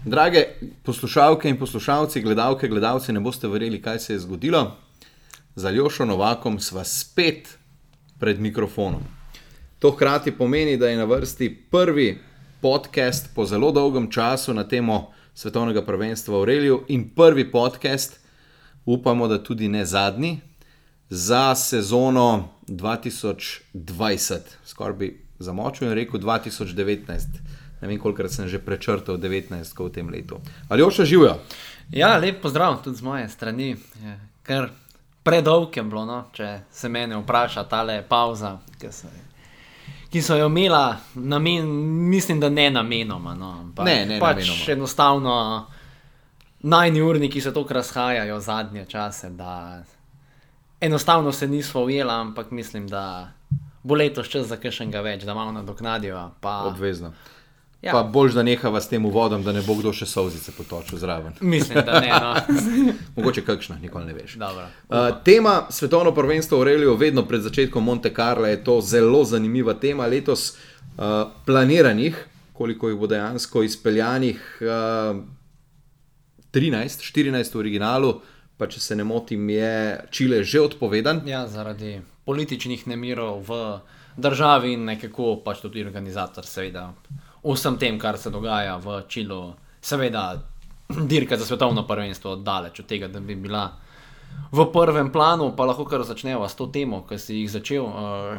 Drage poslušalke in poslušalci, gledalke, gledalci, ne boste verjeli, kaj se je zgodilo. Z Aljošo Novakom sva spet pred mikrofonom. To hkrati pomeni, da je na vrsti prvi podcast po zelo dolgem času na temo svetovnega prvenstva v Aureliju in prvi podcast, upamo, da tudi ne zadnji, za sezono 2020. Skoraj bi zamočil in rekel 2019. Ne vem, kolikrat sem že prečrtal 19 v tem letu. Aljoša, živjo? Ja, lep pozdrav tudi z moje strani. Ker predolg je bilo, no, če se mene vpraša tale pauza, ki so jo imela namen, mislim, da ne namenoma. No, ne pač namenoma. Enostavno najni urniki se toliko razhajajo zadnje čase, da enostavno se nismo ujela, ampak mislim, da bo letos čas za kakšnega več, da malo nadoknadijo. Obvezno. Ja. Pa boljš, da nehava s tem uvodom, da ne bo kdo še solzice potočil zraven. Mislim, da ne, no. Mogoče kakšna, nikoli ne veš. Dobro. Tema svetovno prvenstvo v Aureliju, vedno pred začetkom Monte Carla je to zelo zanimiva tema. Letos planiranih, koliko jih bo dejansko izpeljanih, 14 v originalu, pa če se ne motim, je Čile že odpovedan. Ja, zaradi političnih nemirov v državi in nekako pač tudi organizator seveda vsem tem, kar se dogaja v Čilu, seveda dirka za svetovno prvenstvo daleč od tega, da bi bila v prvem planu, pa lahko kar začneva s to temo, ki si jih začel.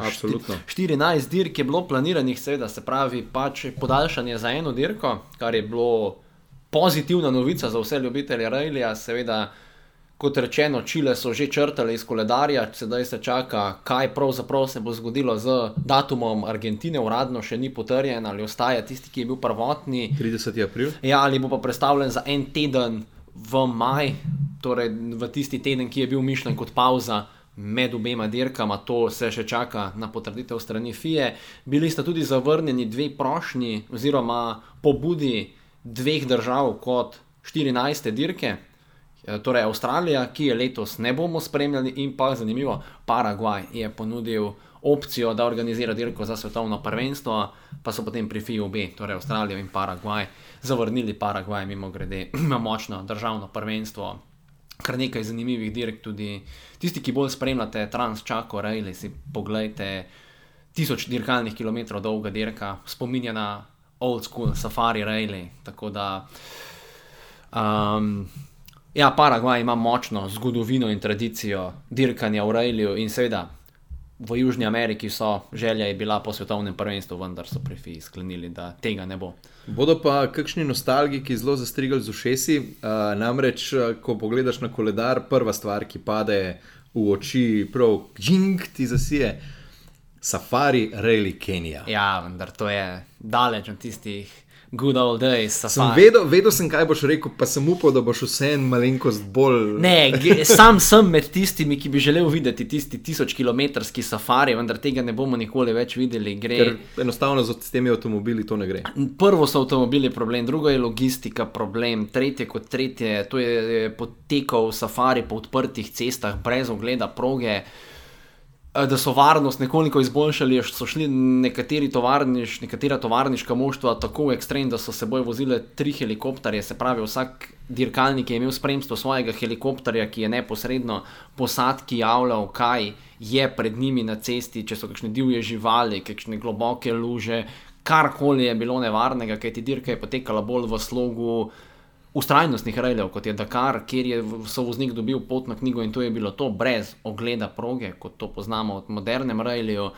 Absolutno. 14 dirk je bilo planiranih, seveda se pravi pač podaljšanje za eno dirko, kar je bilo pozitivna novica za vse ljubitelje rallija, seveda. Kot rečeno, Čile so že črtali iz koledarja, sedaj se čaka, kaj pravzaprav se bo zgodilo z datumom Argentine, uradno še ni potrjen, ali ostaja tisti, ki je bil prvotni. 30. april. Ja, ali bo pa predstavljen za en teden v maj, torej v tisti teden, ki je bil mišljen kot pauza med obema dirkama, to se še čaka na potrditev strani FIE. Bili sta tudi zavrnjeni dve prošnji oziroma pobudi dveh držav kot 14. dirke. Torej Avstralija, ki je letos ne bomo spremljali, in pa zanimivo, Paragvaj je ponudil opcijo, da organizira dirko za svetovno prvenstvo, pa so potem pri FIA obe, torej Avstralijo in Paragvaj, zavrnili. Paragvaj mimogrede ima močno državno prvenstvo, kar nekaj zanimivih dirk, tudi tisti, ki bolj spremljate Trans-Chaco Rally, si poglejte 1000 dirkalnih kilometrov dolga dirka, spominja na old school safari rally, tako da ja, Paragvaj ima močno zgodovino in tradicijo dirkanja v ralliju in seveda v Južni Ameriki želja je bila po svetovnem prvenstvu, vendar so pri FIA sklenili, da tega ne bo. Bodo pa kakšni nostalgiki zelo zastrigali z ušesi, namreč, ko pogledaš na koledar, prva stvar, ki pade v oči, prav ti zasije, Safari Rally Kenija. Ja, vendar to je daleč od tistih good old days, safari. Vedel sem, kaj boš rekel, pa sem upal, da boš vseen malenkost bolj... Ne, sam sem med tistimi, ki bi želel videti tisti 1000-kilometrski safari, vendar tega ne bomo nikoli več videli. Ker enostavno s temi avtomobili to ne gre. Prvo so avtomobili problem, drugo je logistika problem, tretje, to je potekal safari po odprtih cestah, brez ogleda proge. Da so varnost nekoliko izboljšali, so šli nekatera tovarniška moštva tako v ekstrem, da so seboj vozile 3 helikopterje, se pravi vsak dirkalnik je imel spremstvo svojega helikopterja, ki je neposredno posadki javljal, kaj je pred njimi na cesti, če so kakšne divje živali, kakšne globoke luže, karkoli je bilo nevarnega, kajti dirka je potekala bolj v slogu ustrajnostnih raljev, kot je Dakar, kjer je sovoznik dobil potno knjigo in to je bilo to brez ogleda proge, kot to poznamo od modernem ralliju.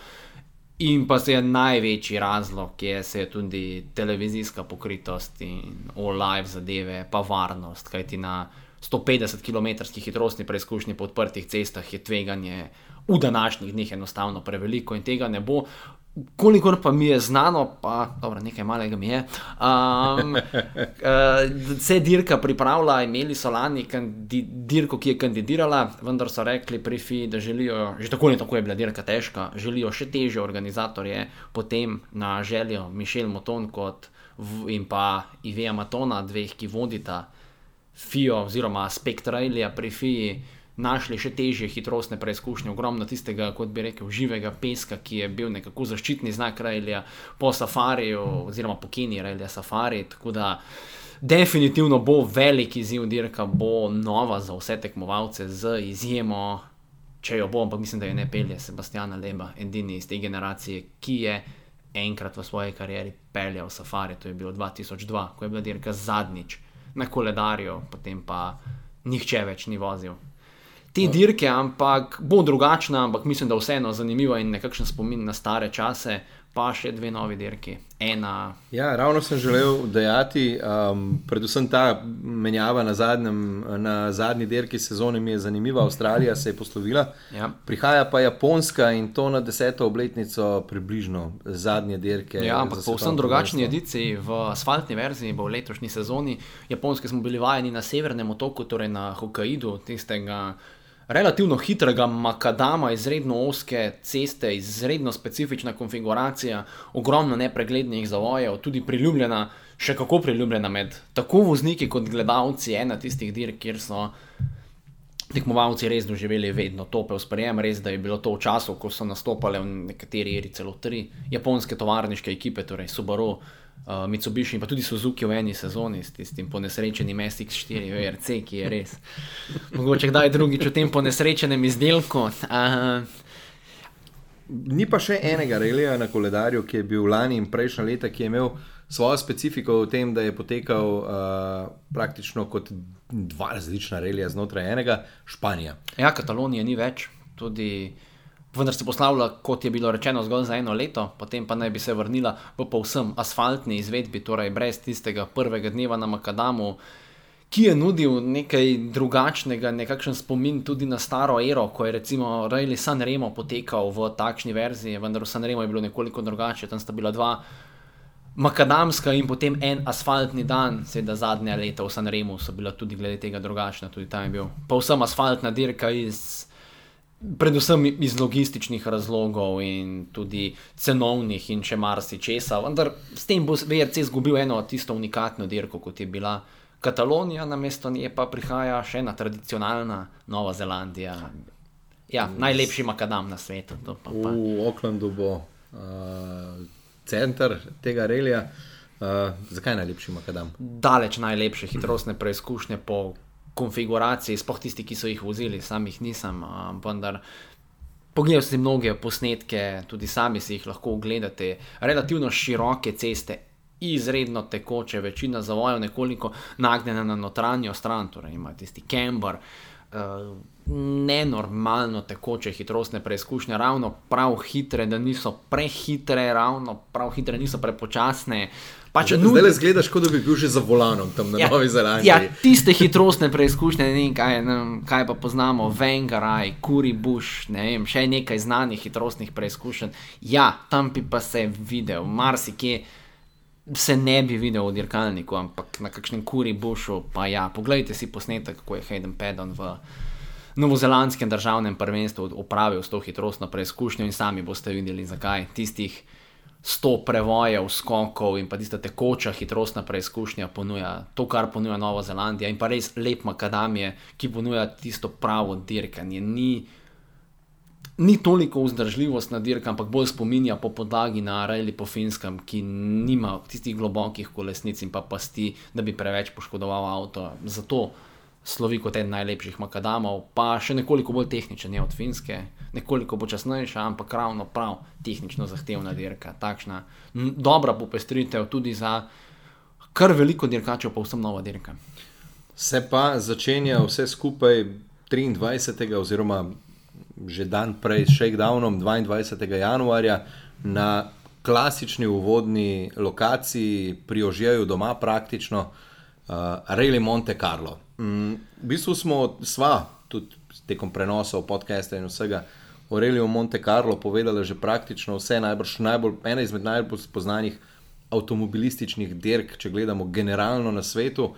In pa se je največji razlog, kjer se je tudi televizijska pokritost in all live zadeve, pa varnost, kajti na 150 km hitrostni preizkušnji po odprtih cestah je tveganje v današnjih dneh enostavno preveliko in tega ne bo. Kolikor pa mi je znano, pa dobro, nekaj malega mi je, se dirka pripravlja, imeli so lani dirko, ki je kandidirala, vendar so rekli pri FIA, da želijo, že tako in tako je bila dirka težka, želijo še težje organizatorje, potem na željo Michel Mouton in pa Yvea Matona, dveh, ki vodita FIA oziroma aspekt rallija pri FIA, našli še težje hitrostne preizkušnje, ogromno tistega, kot bi rekel, živega peska, ki je bil nekako zaščitni znak rallija po safariju, oziroma po Keniji rallija safari, tako da definitivno bo velik izziv dirka, bo nova za vse tekmovalce z izjemo, če jo bo, ampak mislim, da jo ne pelje Sebastiana Leba, edini iz te generacije, ki je enkrat v svoji karieri peljal safari, to je bilo 2002, ko je bila dirka zadnjič na koledarju, potem pa nihče več ni vozil te dirke, ampak bo drugačna, ampak mislim, da vseeno zanimiva in nekakšen spomin na stare čase, pa še 2 novi dirki. Ja, ravno sem želel dejati, predvsem ta menjava na zadnji dirki sezone mi je zanimiva, Avstralija se je poslovila, prihaja pa Japonska in to na 10. obletnico približno zadnje dirke. Ja, ampak po vsem drugačni ediciji, v asfaltni verziji bo v letošnji sezoni. Japonske smo bili vajeni na severnem otoku, torej na Hokkaidu, tistega relativno hitrega makadama, izredno ozke ceste, izredno specifična konfiguracija, ogromno nepreglednih zavojev, tudi priljubljena, še kako priljubljena med tako vozniki kot gledalci, ena tistih dirk, kjer so tekmovalci res doživeli vedno topel sprejem, res da je bilo to v času, ko so nastopale v nekateri eri celo 3 japonske tovarniške ekipe, torej Subaru, Mitsubishi in pa tudi Suzuki v eni sezoni s tistim ponesrečenim SX4 VRC, ki je res mogoče kdaj drugič v tem ponesrečenem izdelku. Ni pa še enega relija na koledarju, ki je bil lani in prejšnja leta, ki je imel svojo specifiko v tem, da je potekal praktično kot 2 različna relija znotraj enega, Španija. Ja, Katalonije ni več, tudi vendar se poslavlja, kot je bilo rečeno, zgolj za 1 leto, potem pa naj bi se vrnila v povsem asfaltni izvedbi, torej brez tistega prvega dneva na makadamu, ki je nudil nekaj drugačnega, nekakšen spomin tudi na staro ero, ko je recimo Rally Sanremo potekal v takšni verziji, vendar v Sanremo je bilo nekoliko drugače, tam sta bila 2 makadamska in potem en asfaltni dan, seveda zadnja leta v Sanremu so bila tudi glede tega drugačna, tudi tam je bil povsem asfaltna dirka predvsem iz logističnih razlogov in tudi cenovnih in še marsičesa, vendar s tem bo VRC izgubil eno tisto unikatno dirko, kot je bila Katalonija, namesto nje pa prihaja še ena tradicionalna Nova Zelandija. Ja, najlepši makadam na svetu. V Aucklandu bo center tega relija. Zakaj najlepši makadam? Daleč najlepše hitrostne preizkušnje po konfiguraciji, sploh tisti, ki so jih vozili, sam jih nisem, vendar pogledal si mnoge posnetke, tudi sami si jih lahko ogledate, relativno široke ceste, izredno tekoče, večina zavojev nekoliko nagnjena na notranjo stran, torej ima tisti camber, nenormalno tekoče hitrostne preizkušnje, ravno prav hitre, da niso prehitre, ravno prav hitre, niso prepočasne. Zdaj le zgledaš, kot da bi bil že za volanom tam na Novi Zelandiji. Ja, tiste hitrostne preizkušnje, ne vem, kaj pa poznamo, Vengaraj, Kuri Bush, ne vem, še nekaj znanih hitrostnih preizkušenj. Ja, tam bi pa se videl, marsikje se ne bi videl v dirkalniku, ampak na kakšnem Kuri Bushu, pa ja, pogledajte si posnetek, kako je Hayden Paddon v novozelandskem državnem prvenstvu opravil s to hitrostno preizkušnjo in sami boste videli, zakaj tistih 100 prevojev, skokov in pa tista tekoča hitrostna preizkušnja ponuja to, kar ponuja Nova Zelandija in pa res lep makadam je, ki ponuja tisto pravo dirkanje. Ni toliko vzdržljivost na dirka, ampak bolj spominja po podlagi na rally po Finskem, ki nima tistih globokih kolesnic in pa pasti, da bi preveč poškodoval avto. Zato slovi kot eden najlepših makadamov, pa še nekoliko bolj tehničen je od Finske, nekoliko počasnejša, ampak ravno prav tehnično zahtevna dirka. Takšna dobra popestritev tudi za kar veliko dirkačev, pa vsem nova dirka. Se pa začenja vse skupaj 23. oziroma že dan prej s shakedownom 22. januarja na klasični uvodni lokaciji pri Ožeju doma praktično Rally Monte Carlo. V bistvu sva tudi tekom prenosov, podcasta in vsega o Rallyu Monte Carlo povedala že praktično vse, ena izmed najbolj spoznanih avtomobilističnih dirk, če gledamo generalno na svetu.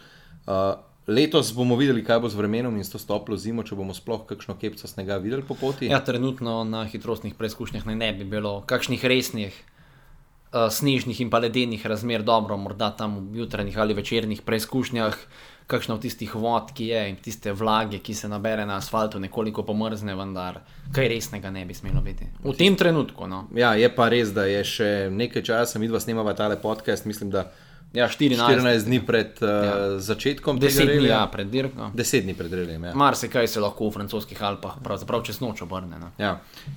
Letos bomo videli, kaj bo z vremenom in s to toplo zimo, če bomo sploh kakšno kepco snega videli po poti. Ja, trenutno na hitrostnih preizkušnjah ne bi bilo kakšnih resnih snežnih in pa ledenih razmer, dobro, morda tam v jutranjih ali večernih preizkušnjah kakšna od tistih vod, ki je in tiste vlage, ki se nabere na asfaltu, nekoliko pomrzne, vendar kaj resnega ne bi smelo biti. V tem trenutku, no. Ja, je pa res, da je še nekaj časa, midva snemava tale podcast, mislim, da Ja, 14 dni pred začetkom tega 10 dni, relija. pred dirko. 10 dni pred relijem, ja. Marsikaj se lahko v francoskih Alpah pravzaprav čez noč obrne. Ne? Ja.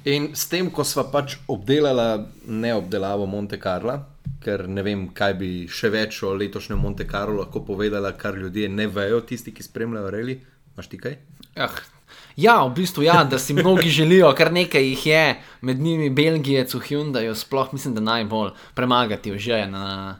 In s tem, ko sva pač obdelala neobdelavo Monte Carla, ker ne vem, kaj bi še več o letošnjem Monte Carlo lahko povedala, kar ljudje ne vejo, tisti, ki spremljajo reli. Imaš ti kaj? Ja, v bistvu ja, da si mnogi želijo, kar nekaj jih je, med njimi Belgijec v Hyundaiu, sploh mislim, da najbolj premagati že na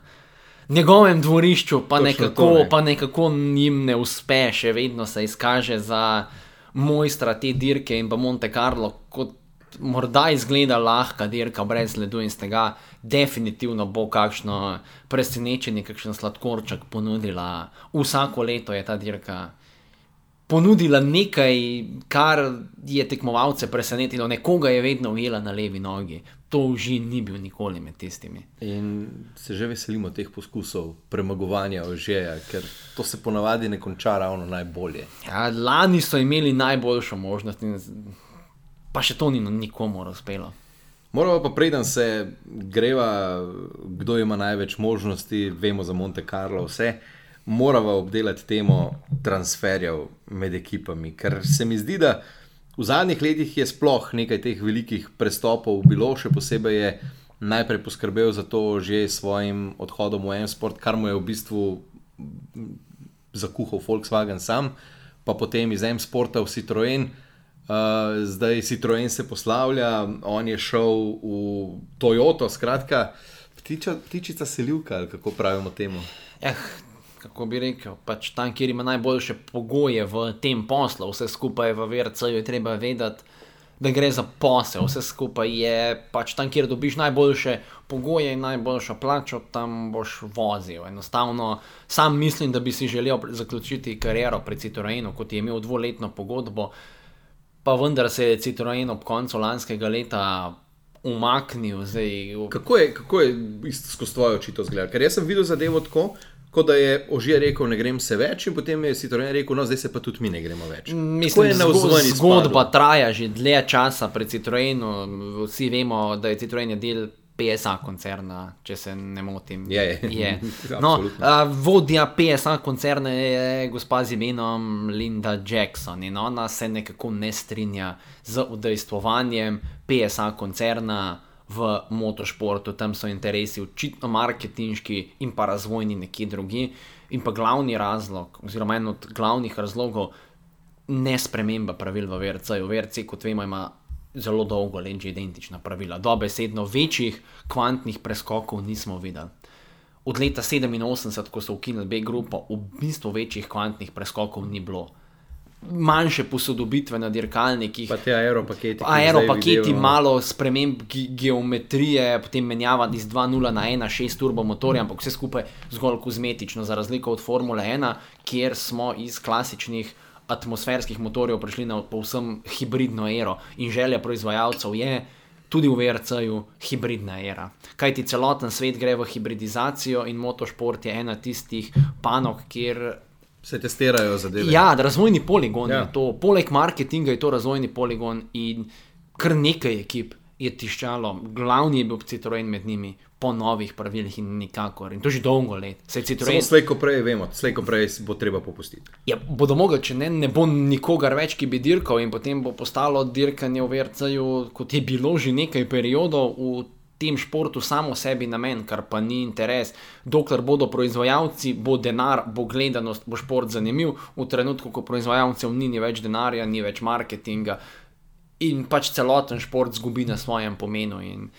njegovem dvorišču, pa nekako jim ne uspe, še vedno se izkaže za mojstra te dirke in pa Monte Carlo, kot morda izgleda lahka dirka brez ledu in z tega definitivno bo kakšno presenečenje, kakšen sladkorček ponudila. Vsako leto je ta dirka ponudila nekaj, kar je tekmovalce presenetilo, nekoga je vedno ujela na levi nogi. To Ožin ni bil nikoli med tistimi. In se že veselimo teh poskusov premagovanja Ožeja, ker to se ponavadi ne konča ravno najbolje. Ja, lani so imeli najboljšo možnost in pa še to ni nikomu uspelo. Moramo pa preden se greva, kdo ima največ možnosti, vemo za Monte Carlo vse, moramo obdelati temo transferjev med ekipami, ker se mi zdi, da v zadnjih letih je sploh nekaj teh velikih prestopov bilo, še posebej je najprej poskrbel za to že svojim odhodom v M-Sport, kar mu je v bistvu zakuhal Volkswagen sam, pa potem iz M-Sporta v Citroën. Zdaj Citroën se poslavlja, on je šel v Toyoto, skratka ptičica selivka, ali kako pravimo temu. Kako bi rekel, pač tam, kjer ima najboljše pogoje v tem poslu, vse skupaj v VRC-ju je treba vedeti, da gre za posel, vse skupaj je pač tam, kjer dobiš najboljše pogoje in najboljšo plačo, tam boš vozil. Enostavno, sam mislim, da bi si želel zaključiti kariero pri Citroenu, kot je imel 2-letno pogodbo, pa vendar se je Citroen ob koncu lanskega leta umaknil. Kako je skozi tvoje oči to zgleda? Ker jaz sem videl zadevo tako, kot da je Ožije rekel, ne grem se več, in potem je Citroen rekel, no zdaj se pa tudi mi ne gremo več. Mislim, zgodba traja že dlje časa pri Citroenu, vsi vemo, da je Citroen del PSA koncerna, če se ne motim. Je. No, vodja PSA koncerna je gospa z imenom Linda Jackson in ona se nekako ne strinja z udejstvovanjem PSA koncerna v motošportu. Tam so interesi očitno marketinški in pa razvojni nekje drugi. In pa glavni razlog, oziroma en od glavnih razlogov, ne sprememba pravil v VRC-ju. VRC, kot vemo, ima zelo dolgo let že identična pravila. Dobesedno večjih kvantnih preskokov nismo videli. Od leta 87, ko so ukinili B-grupo, v bistvu večjih kvantnih preskokov ni bilo. Manjše posodobitve na dirkalnikih, pa te aeropaketi, malo sprememb geometrije, potem menjava iz 2.0 na 1.6 turbo motorja, ampak vse skupaj zgolj kozmetično, za razliko od Formule 1, kjer smo iz klasičnih atmosferskih motorjev prišli na povsem hibridno ero in želja proizvajalcev je tudi v VRC-ju hibridna era. Kajti celoten svet gre v hibridizacijo in motošport je ena tistih panog, kjer se testirajo zadeve. Ja, razvojni poligon je to. Poleg marketinga je to razvojni poligon in kar nekaj ekip je tiščalo. Glavni je bil Citroen med njimi po novih pravilih in nikakor. In to že dolgo let. Samo slej ko prej vemo, slej ko prej bo treba popustiti. Ja, bodo mogli, če ne bo nikogar več, ki bi dirkal in potem bo postalo dirkanje v VRC-ju, kot je bilo že nekaj periodov v tem športu samo sebi namen, kar pa ni interes. Dokler bodo proizvajalci, bo denar, bo gledanost, bo šport zanimiv. V trenutku, ko proizvajalcev ni več denarja, ni več marketinga in pač celoten šport zgubi na svojem pomenu. In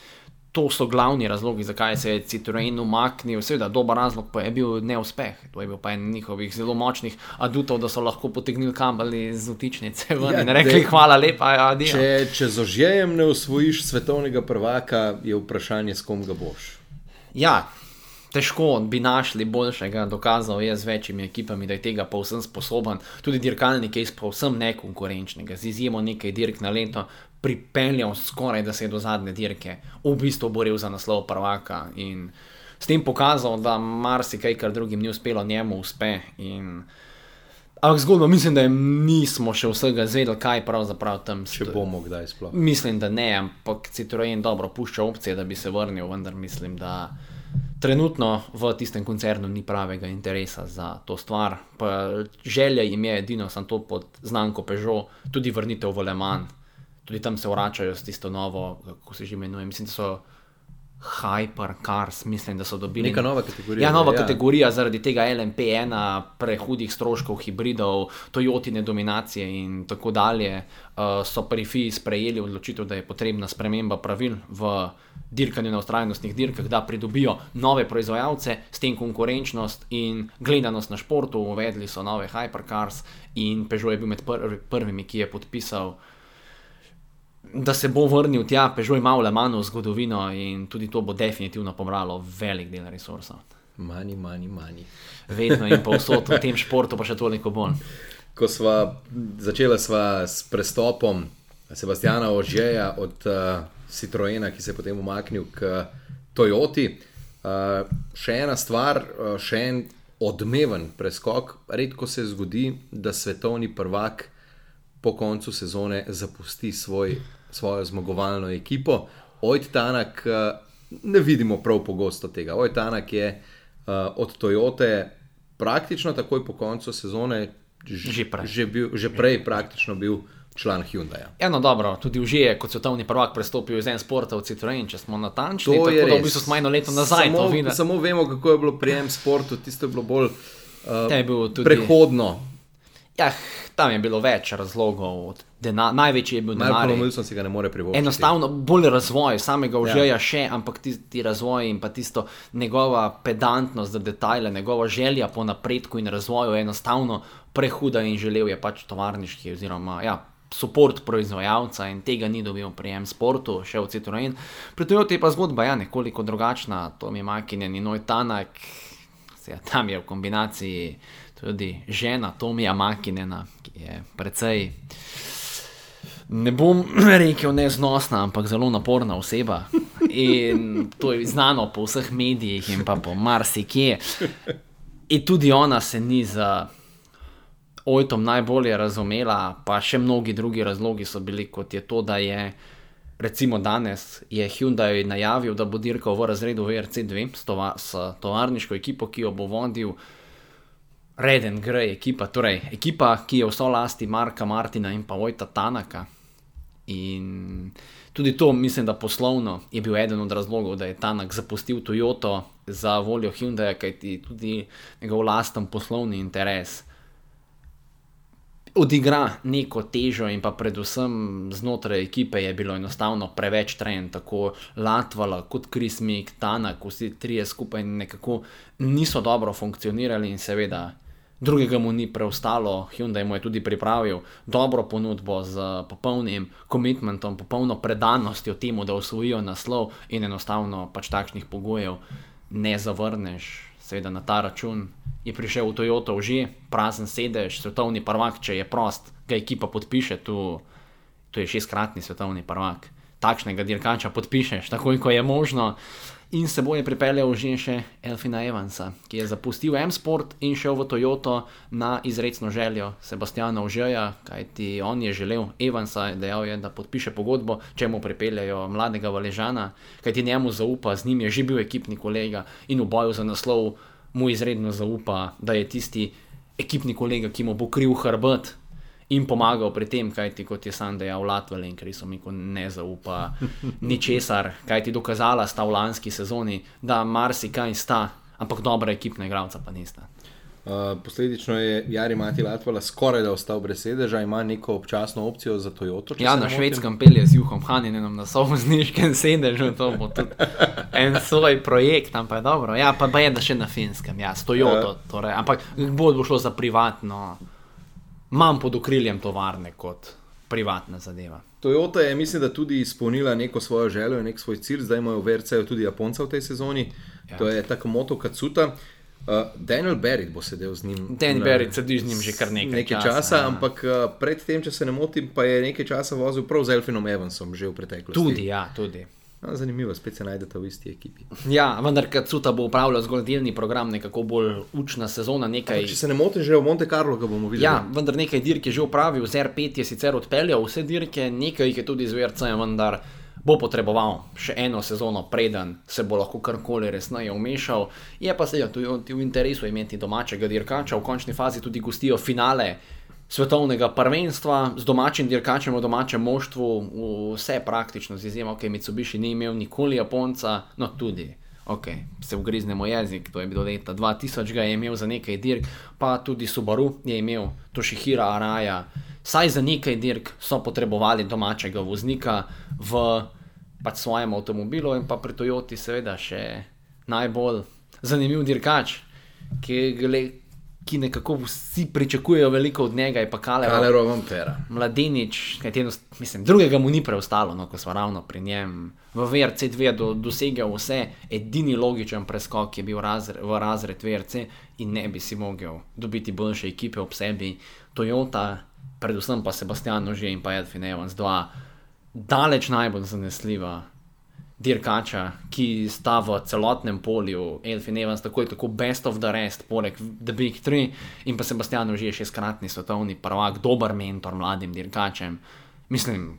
to so glavni razlogi, zakaj se je Citroen umaknil. Seveda, dober razlog pa je bil neuspeh. To je bil pa en njihovih zelo močnih adutov, da so lahko potegnili kabel iz vtičnice ven in rekli hvala lepa, adijo. Če z Ožejem ne osvojiš svetovnega prvaka, je vprašanje, s kom ga boš. Ja, težko bi našli boljšega, dokazal je z večjimi ekipami, da je tega povsem sposoben. Tudi dirkalnik je povsem nekonkurenčnega, z izjemo nekaj dirk na leto pripeljal skoraj, da se je do zadnje dirke v bistvu boril za naslov prvaka in s tem pokazal, da marsikaj, kar drugim ni uspelo, njemu uspe. Ampak zgodba, mislim, da nismo še vsega zvedeli, kaj pravzaprav tam stoji. Če bomo kdaj sploh. Mislim, da ne, ampak Citroen dobro pušča opcije, da bi se vrnil, vendar mislim, da trenutno v tistem koncernu ni pravega interesa za to stvar. Pa želja jim je edino, sem to pod znamko Peugeot, tudi vrnitev v Le Mans. Tudi tam se vračajo s tisto novo, kako se že imenuje, mislim, da so Hypercars, mislim, da so dobili. Neka nova kategorija. Ja, nova kategorija zaradi tega LMP1, prehudih stroškov, hibridov, Toyotine dominacije in tako dalje. So pri FIA sprejeli odločitev, da je potrebna sprememba pravil v dirkanju na vztrajnostnih dirkah, da pridobijo nove proizvajalce, s tem konkurenčnost in gledanost na športu. Uvedli so nove Hypercars in Peugeot je bil med prvimi, ki je podpisal, da se bo vrnil tja. Peugeot ima v Le Mansu zgodovino in tudi to bo definitivno pobralo velik del resursov. Money. Vedno in povsod v tem športu, pa še toliko bolj. Ko začela sva s prestopom Sebastiana Ožeja od Citroena, ki se je potem umaknil k Toyoti, še ena stvar, še en odmeven preskok. Redko se zgodi, da svetovni prvak po koncu sezone zapusti svojo zmagovalno ekipo. Ott Tanak ne vidimo prav pogosto tega. Ott Tanak je od Toyote praktično takoj po koncu sezone že prej praktično bil član Hyundaija. Eno dobro, tudi už je kot svetovni prvak prestopil iz M-Sporta v Citroen, če smo natančni, To je tako da v res. bistvu smo eno leto nazaj to videli. Samo vemo, kako je bilo pri M-Sportu, tisto je bilo bolj To je bil tudi- prehodno. Ja, tam je bilo več razlogov. Največji je bil denar. Malcolm Wilson si ga ne more privoščiti. Enostavno bolj razvoj samega Ožeja še, ampak ti razvoj in pa tisto njegova pedantnost za detajle, njegova želja po napredku in razvoju je enostavno prehuda in želel je pač tovarniški oziroma support proizvajalca in tega ni dobil pri M-Sportu, še v Citroen. Pri Toyoti je pa zgodba nekoliko drugačna. Tommy Mäkinen in Ott Tanak, tam je v kombinaciji tudi žena Tommyja Mäkinena, ki je precej, ne bom rekel neznosna, ampak zelo naporna oseba. In to je znano po vseh medijih in pa po marsikje. In tudi ona se ni z Ottom najbolje razumela, pa še mnogi drugi razlogi so bili, kot je to, da je recimo danes je Hyundai najavil, da bo dirkal v razredu WRC2 s tovarniško ekipo, ki jo bo vodil Red and Grey ekipa, torej ekipa, ki je v solasti Marka Martina in pa Otta Tanaka. In tudi to, mislim, da poslovno je bil eden od razlogov, da je Tanak zapustil Toyoto za voljo Hyundaia, kajti tudi njegov lasten poslovni interes odigra neko težo in pa predvsem znotraj ekipe je bilo enostavno preveč trenj, tako Latvala kot Chris Meek, Tanak, vsi trije skupaj nekako niso dobro funkcionirali in seveda drugega mu ni preostalo. Hyundai mu je tudi pripravil dobro ponudbo z popolnim commitmentom, popolno predanostjo temu, da osvojijo naslov in enostavno pač takšnih pogojev ne zavrneš. Seveda na ta račun je prišel v Toyoto že prazen sedež, svetovni prvak, če je prost, ga ekipa podpiše, to je 6-kratni svetovni prvak. Takšnega dirkača podpišeš takoj, ko je možno. In s seboj je pripeljal že še Elfina Evansa, ki je zapustil M-Sport in šel v Toyoto na izrecno željo Sebastiana Ožeja, kajti on je želel Evansa, dejal je, da podpiše pogodbo, če mu pripeljajo mladega Valežana, kajti njemu zaupa, z njim je že bil ekipni kolega in v boju za naslov mu izredno zaupa, da je tisti ekipni kolega, ki mu bo kril hrbet in pomagal pri tem, kajti kot je sam dejal Latvala in Chrisu Meeku ne zaupa ničesar, kajti dokazala sta v lanski sezoni, da marsikaj sta, ampak dobra ekipna igralca pa nista. Posledično je Jari Mati Latvala skoraj da ostal brez sedeža, ima neko občasno opcijo za Toyoto. Ja, na Švedskem pelje z Juhom Haninenom na sovozniškem sedežu, to bo tudi en svoj projekt, ampak je dobro. Ja, pa je da še na Finskem, ja, s Toyoto, torej, ampak bolj bo šlo za privatno, manj pod okriljem tovarne kot privatna zadeva. Toyota je, mislim, da tudi izpolnila neko svojo željo in nek svoj cilj, zdaj imajo v WRC-ju tudi Japonca v tej sezoni, to je Takamoto Katsuta. Daniel Barrett bo sedel z njim. Daniel Barrett sedi z njim že kar nekaj časa, ja. Ampak predtem, če se ne motim, pa je nekaj časa vozil prav z Elfinom Evansom že v preteklosti. Tudi, ja, tudi. Zanimivo, spet se najdete v isti ekipi. Ja, vendar Katsuta bo upravljal zgolj delni program, nekako bolj učna sezona, nekaj... Če se ne motim, že v Monte Carlo ga bomo videli. Ja, vendar nekaj dirk je že upravil, z R5 je sicer odpeljal vse dirke, nekaj jih je tudi z VRC, vendar bo potreboval še eno sezono, preden se bo lahko karkoli resneje vmešal. Je pa seveda tudi v interesu imeti domačega dirkača, v končni fazi tudi gostijo finale svetovnega prvenstva z domačim dirkačem v domačem moštvu, vse praktično z izjemo, Mitsubishi ni imel nikoli Japonca, no tudi, se ugriznemo jezik, to je bilo leta 2000, ga je imel za nekaj dirk, pa tudi Subaru je imel Toshihira Araya, saj za nekaj dirk so potrebovali domačega voznika v pač svojem avtomobilu in pa pri Toyoti seveda še najbolj zanimiv dirkač, ki nekako vsi pričakujejo veliko od njega, je pa Calero Vampera. Mladenič, drugega mu ni preostalo, no, ko smo ravno pri njem. V VRC2 je dosegel vse, edini logičen preskok je bil v razred VRC in ne bi si mogel dobiti boljše ekipe ob sebi. Toyota, predvsem pa Sebastian Ogier in pa Elfyn Evans, dva daleč najbolj zanesljiva dirkača, ki sta v celotnem polju. Elfyn Evans tako best of the rest, poleg The Big Three, in pa Sebastian Ogier, 6-kratni svetovni prvak, dober mentor mladim dirkačem. Mislim,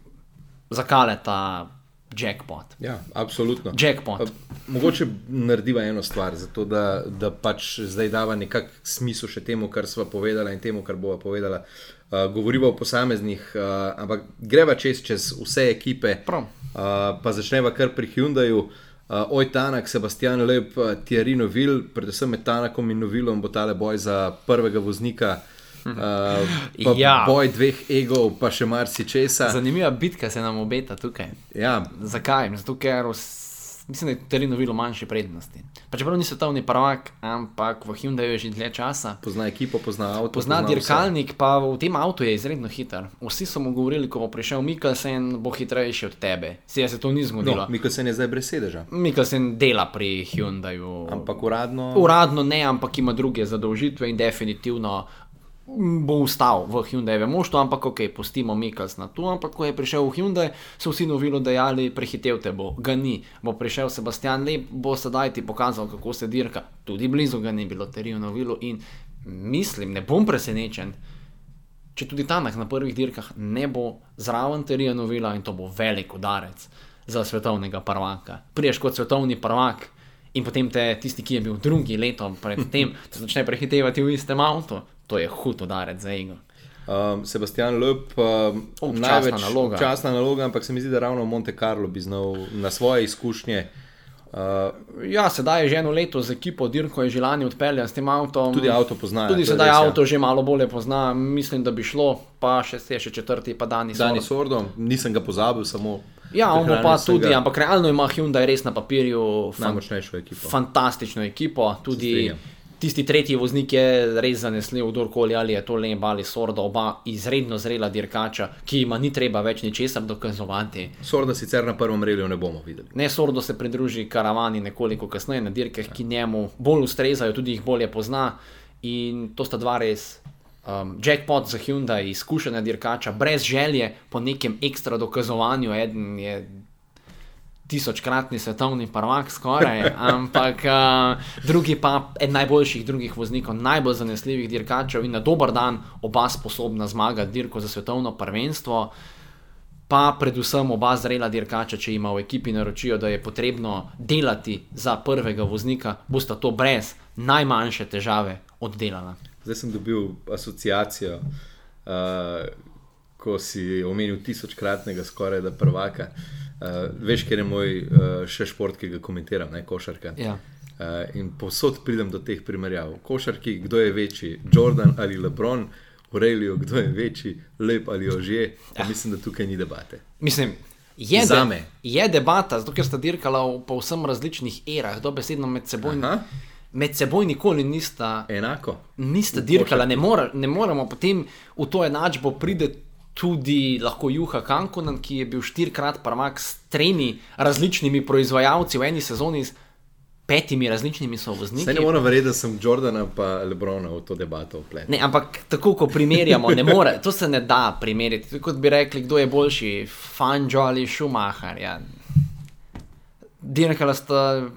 za Caleta jackpot. Ja, absolutno. Jackpot. Mogoče narediva eno stvar, zato da pač zdaj dava nekak smisel še temu, kar sva povedala in temu, kar bova povedala. Govoriva o posameznih, ampak greva čez vse ekipe, pa začneva kar pri Hyundaiu. Tanak, Sebastian Loeb, Thierry Neuville, predvsem med Tanakom in Neuvillom bo tale boj za prvega voznika, boj dveh egov, pa še marsičesa. Zanimiva bitka se nam obeta tukaj. Ja. Zakaj? Zato, ker mislim, da je Thierry Neuville v manjši prednosti. Pa čeprav ni svetovni prvak, ampak v Hyundaiu je že dlje časa. Pozna ekipo, pozna avto. Pozna dirkalnik, pa v tem avtu je izredno hiter. Vsi so mu govorili, ko bo prišel Mikkelsen, bo hitrejši od tebe. Se to ni zgodilo. No, Mikkelsen je zdaj brez sedeža. Mikkelsen dela pri Hyundaiu. Ampak uradno? Uradno ne, ampak ima druge zadolžitve in definitivno bo ustal v Hyundaievem moštvu, ampak pustimo Mikkelsena tu, ampak ko je prišel v Hyundai, so vsi Neuvillu dejali, prehitev te bo, ga ni. Bo prišel Sebastian Loeb, bo sedaj ti pokazal, kako se dirka. Tudi blizu ga ni bilo Thierryju Neuvillu in mislim, ne bom presenečen, če tudi Tanak na prvih dirkah ne bo zraven Thierryja Neuvilla in to bo velik udarec za svetovnega prvaka. Priješ kot svetovni prvak in potem te tisti, ki je bil drugi leto pred tem, te začne prehitevati v istem avtu. To je hud udarec za ego. Sebastian Loeb, časna naloga, ampak se mi zdi, da ravno v Monte Carlo bi znal na svoje izkušnje. Ja, sedaj je že eno leto z ekipo dirko, je že lani odpeljan s tem avtom. Tudi avto pozna. Tudi sedaj avto že malo bolje pozna, mislim, da bi šlo, pa še četrti, pa Dani Sordo. Nisem ga pozabil, samo... Ja, on bo pa tudi, ampak realno ima Hyundai res na papirju najmočnejšo ekipo. Fantastično ekipo, tudi tisti tretji voznik je res zanesljiv, kdorkoli, ali je to Loeb ali Sordo, oba izredno zrela dirkača, ki ima ni treba več ničesar dokazovati. Sorda sicer na prvem reliju ne bomo videli. Ne, Sordo se pridruži karavani nekoliko kasneje na dirkah, ki njemu bolj ustrezajo, tudi jih bolje pozna in to sta dva res jackpot za Hyundai, izkušenja dirkača, brez želje po nekem ekstra dokazovanju. Eden je 1000-kratni svetovni prvak skoraj, ampak drugi pa eden najboljših drugih voznikov, najbolj zanesljivih dirkačev in na dober dan oba sposobna zmagati dirko za svetovno prvenstvo, pa predvsem oba zrela dirkača, če ima v ekipi naročijo, da je potrebno delati za prvega voznika, bosta to brez najmanjše težave oddelala. Zdaj sem dobil asociacijo, ko si omenil 1000-kratnega skoraj da prvaka. Veš, ker je moj še šport, ki ga komentiram, košarka. Ja. In povsod pridem do teh primerjav. Košarki, kdo je večji, Jordan ali LeBron, v reliju, kdo je večji, Loeb ali Ogier, pa mislim, da tukaj ni debate. Mislim, je debata, zato ker sta dirkala v povsem različnih erah, dobesedno med seboj nikoli nista enako. Nista dirkala, ne moremo potem v to enačbo pride tudi lahko Juha Kankonen, ki je bil 4-krat prvak s 3 različnimi proizvajalci v eni sezoni, s 5 različnimi sovozniki. Saj ne moram verjeti, da sem Jordana pa Lebrona v to debato vpletel. Ne, ampak tako, ko primerjamo, ne more, to se ne da primerjati. Kot bi rekli, kdo je boljši, Fangio ali Schumacher. Ja. Dirkala sta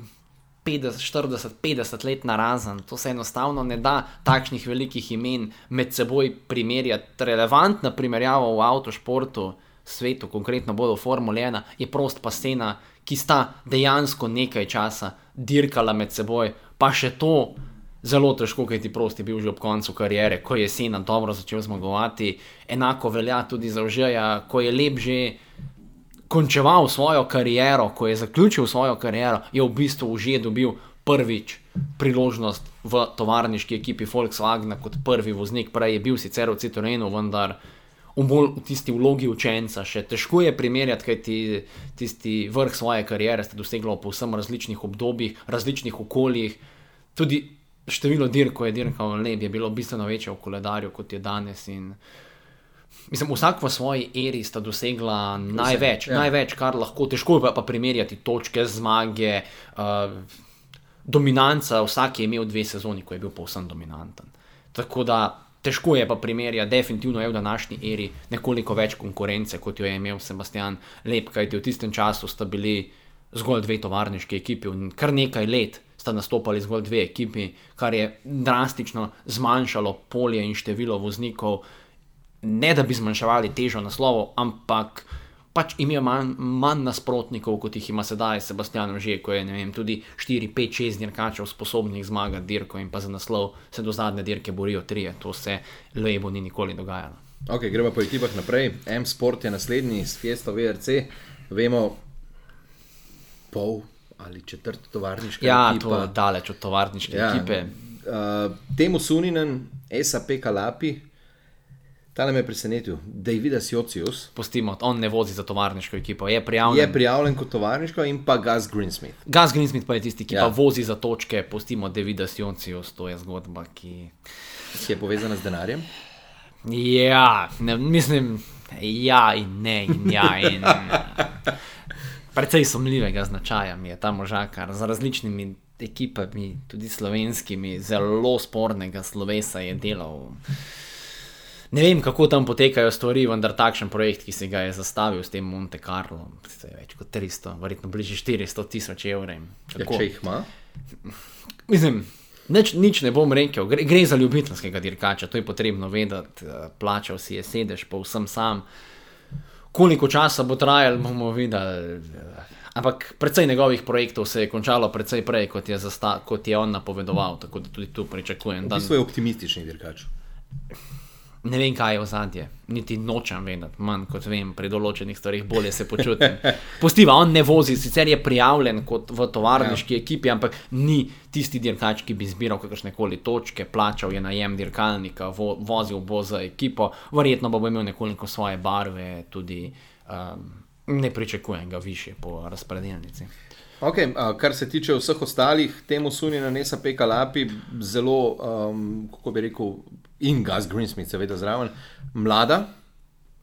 40-50 let narazen, to se enostavno ne da takšnih velikih imen med seboj primerjati. Relevantna primerjava v avtošportu svetu, konkretno bolj v Formuli 1, je Prost pa Senna, ki sta dejansko nekaj časa dirkala med seboj, pa še to zelo težko, kaj ti Prost je bil že ob koncu kariere, ko je Senna dobro začel zmagovati. Enako velja tudi za Ožeja, ko je lep že končeval svojo kariero, ko je zaključil svojo kariero, je v bistvu Ožej dobil prvič priložnost v tovarniški ekipi Volkswagena kot prvi voznik. Prej je bil sicer v Citroenu, vendar v tisti vlogi učenca. Še težko je primerjati, kaj tisti vrh svoje kariere ste dosegli po vsem različnih obdobjih, različnih okoljih. Tudi število dirk, ko je dirkal lep, je bilo bistveno večje v koledarju, kot je danes. In mislim, vsak v svoji eri sta dosegla največ, kar lahko. Težko je pa primerjati točke, zmage, dominanca. Vsak je imel 2 sezoni, ko je bil povsem dominanten. Tako da težko je pa primerjati. Definitivno je v današnji eri nekoliko več konkurence, kot jo je imel Sebastian Loeb, kajti v tistem času sta bili zgolj 2 tovarniški ekipi in kar nekaj let sta nastopali zgolj 2 ekipi, kar je drastično zmanjšalo polje in število voznikov. Ne da bi zmanjševali težo naslovov, ampak pač imajo manj nasprotnikov, kot jih ima sedaj Sebastian Ožej, ko je, ne vem, tudi 4, 5, 6 dirkačev sposobnih zmagati dirko in pa za naslov se do zadnje dirke borijo 3. To se Loebu ni nikoli dogajalo. Ok, gremo po ekipah naprej. M-Sport je naslednji s Fiesta VRC. Vemo, pol ali četrt tovarniška ekipa. Ja, to je daleč od tovarniške ekipe. Temu Suninen, SAP Kalapi, tale me je presenetil, Davidas Jocius. Pustimo, on ne vozi za tovarniško ekipo, je prijavljen kot tovarniško in pa Gus Greensmith. Gus Greensmith pa je tisti, ki pa vozi za točke. Pustimo Davidas Jocius, to je zgodba, ki je povezana z denarjem. Ja, mislim, ja in ne in ja in precej sumljivega značaja mi je ta možakar, z različnimi ekipami, tudi slovenskimi, zelo spornega slovesa je delal. Ne vem, kako tam potekajo stvari, vendar takšen projekt, ki si ga je zastavil s tem Monte Carlo, je več kot 300, verjetno bližje 400,000 evrov. Ja, če jih ima? Mislim, nič ne bom rekel, gre za ljubiteljskega dirkača, to je potrebno vedeti, plačal si je sedež povsem sam. Koliko časa bo trajalo, bomo videli, ampak precej njegovih projektov se je končalo precej prej, kot je on napovedoval, tako da tudi tu pričakujem. V bistvu je optimistični dirkač. Ne vem, kaj je ozadje, niti nočem vedeti, manj kot vem, pri določenih stvarih bolje se počutim. Pustiva, on ne vozi, sicer je prijavljen kot v tovarniški ekipi, ampak ni tisti dirkač, ki bi zbiral kakršnekoli točke, plačal je najem dirkalnika, vozil bo za ekipo, verjetno bo imel nekoliko svoje barve, tudi ne pričakujem ga više po razpredelnici. Ok, kar se tiče vseh ostalih, Temu Suninen, SAP Kalapi, zelo, kako bi rekel, in Gus Greensmith seveda zraven, mlada,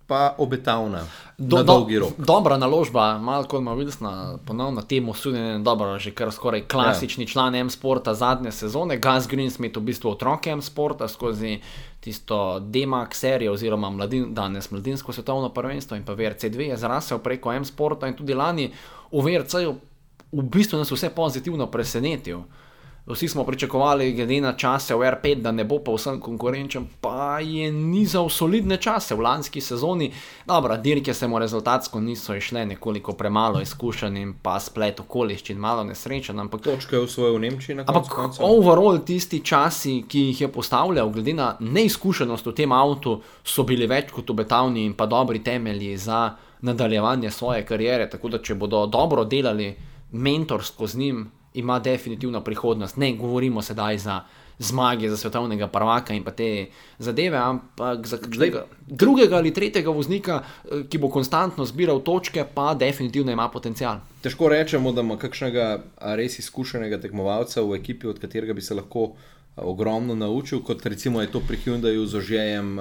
pa obetavna na dolgi rok. Dobra naložba, Malcolm Wilsona, ponovno Temu Suninen, dobro, že kar skoraj klasični član M-Sporta zadnje sezone, Gus Greensmith v bistvu otrok M-Sporta skozi tisto D-Max serijo oziroma danes mladinsko svetovno prvenstvo in pa VRC2 je zrasel preko M-Sporta in tudi lani v VRC-ju v bistvu nas vse pozitivno presenetil. Vsi smo pričakovali, glede na čase v R5, da ne bo pa vsem konkurenčen, pa je nizal solidne čase v lanski sezoni. Dobro, dirke se mu rezultatsko niso išle, nekoliko premalo izkušen in pa splet okoliščin, malo nesrečen. Točka je osvojil v Nemčiji na koncu konca. Ampak overall tisti časi, ki jih je postavljal, glede na neizkušenost v tem avtu, so bili več kot obetavni in pa dobri temelji za nadaljevanje svoje kariere, tako da če bodo dobro delali mentorsko z njim, ima definitivno prihodnost. Ne govorimo sedaj za zmage, za svetovnega prvaka in pa te zadeve, ampak za drugega ali tretjega voznika, ki bo konstantno zbiral točke, pa definitivno ima potencial. Težko rečemo, da ima kakšnega res izkušenega tekmovalca v ekipi, od katerega bi se lahko ogromno naučil, kot recimo je to pri Hyundaiu z Ožejem,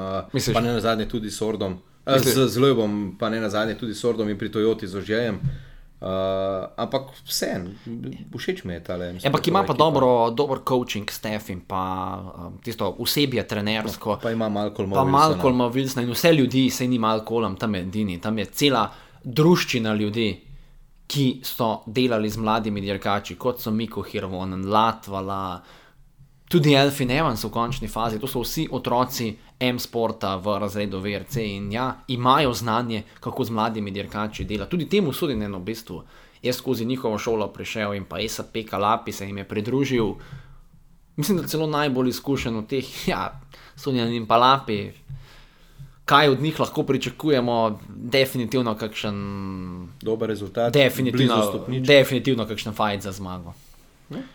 pa ne nazadnje tudi s Ordom, z Loebom, pa ne nazadnje tudi s Ordom in pri Toyoti z Ožejem. Ampak vse, všeč mi je tale. Ampak ima pa dober coaching staff in pa tisto osebje trenersko. Pa ima Malcolma Wilsona in vse ljudi, sej ni Malcolm, tam je edini, tam je cela druščina ljudi, ki so delali z mladimi dirkači, kot so Mikko Hirvonen, Latvala, Tudi Elfin Evans v končni fazi, to so vsi otroci M-sporta v razredu VRC in ja, imajo znanje, kako z mladimi dirkači dela. Tudi temu Suninen v bistvu je skozi njihovo šolo prišel in pa SAP Kalapi se jim je pridružil. Mislim, da celo najbolj izkušen od teh, ja, Suninen in Palapi. Kaj od njih lahko pričakujemo? Definitivno kakšen... Dober rezultat, definitivno kakšen fight za zmago.